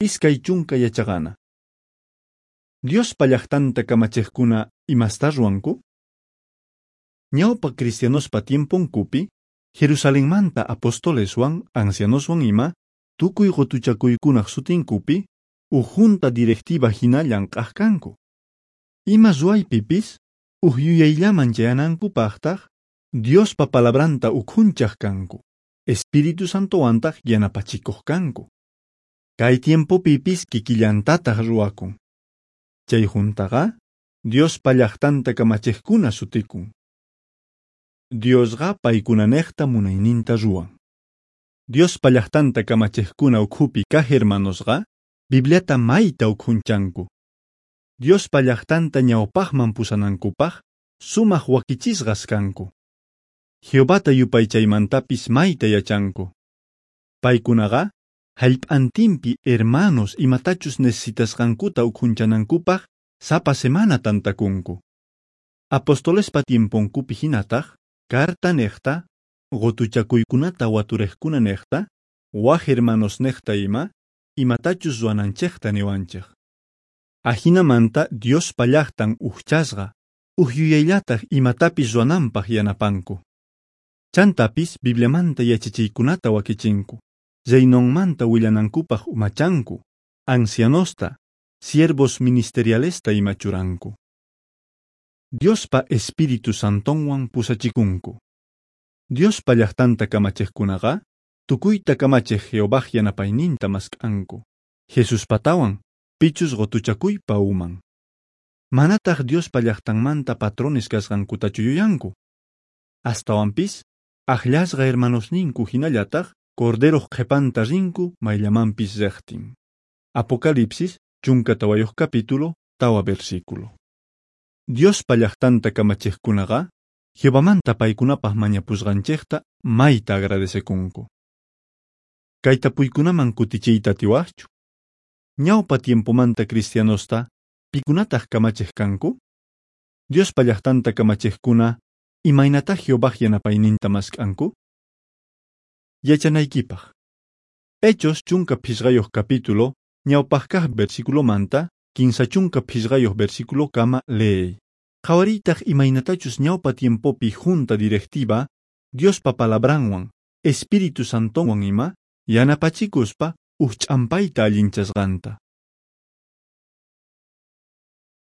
20 yachaqana. Diospa llaqtanta kamachiqkuna, imastá ruwanku? Ñawpa cristianospa tiemponkupi, Jerusalenmanta apostoleswan, ancianoswan ima, tukuy qutuchakuykunaq sutinkupi, uj junta directiva hina llank'aq kanku. Ima ruwaypipis, uj yuyayllaman chayanankupaqtaq, Diospa palabranta ukhunchaq kanku, Espíritu Santowantaq yanapachikuq kanku. Kay tiempopipis kikillantataq ruwakun. Chay juntaqa, Diospa llaqtanta kamachiqkuna sutikun. Diosqa paykunanejta munayninta ruwan. Diospa llaqtanta kamachiqkuna ukhupi kaq hermanosqa, Bibliata mayta ukhunchanku. Diospa llaqtanta ñawpaqman pusanankupaq, sumaq wakichisqas kanku. Jehovata yupaychaymantapis mayta yachanku. Paykunaqa, jallp'antinpi hermanos imatachus necesitasqankuta ukhunchanankupaq sapa semana tantakunku. Apostolespa tiemponkupi hinataq, carta niqta, qutuchakuykunata waturiqkuna niqta, waj hermanos niqta ima, imatachus ruwananchikta niwanchik. Ajinamanta Diospa llaqtan ujchasqa, uj yuyayllataq imatapis ruwananpaq yanapanku. Chantapis Bibliamanta yachachiykunata wakichinku, Reinonmanta willanankupaq umachanku, ancianosta, siervos ministerialesta ima churanku. Diospa Espíritu Santonwan pusachikunku. Diospa llaqtanta kamachiqkunaqa, tukuyta kamachiq Jehovaj yanapayninta mask'anku. Jesuspatawan, pichus qutuchakuypa uman. Manataq Diospa llaqtanmanta patrones kasqankutachu yuyanku. Astawanpis, akllasqa hermanosninku hinallataq Corderoq qhipanta rinku mayllamanpis riqtin. Apocalipsis 14 capítulo, 4 versículo. Diospa llaqtanta kamachiqkunaqa, Jehovamanta paykunapaq mañapusqanchikta mayta agradecekunku. Kay tapuykunaman kutichiyta atiwaqchu? Ñawpa tiempomanta cristianosta, pikunataq kamachiq kanku? Diospa llaqtanta kamachiqkuna, imaynatá Jehovaj yanapayninta mask'anku? Yachanaykipaq. Hechos 15 capítulo, ñawpaq kaq versículomanta, 35 versículo kama leey. Qhawariytaq imaynatachus ñawpa tiempopi junta directiva, Diospa palabranwan, Espíritu Santonwan ima, yanapachikuspa uj ch'ampayta allinchasqanta.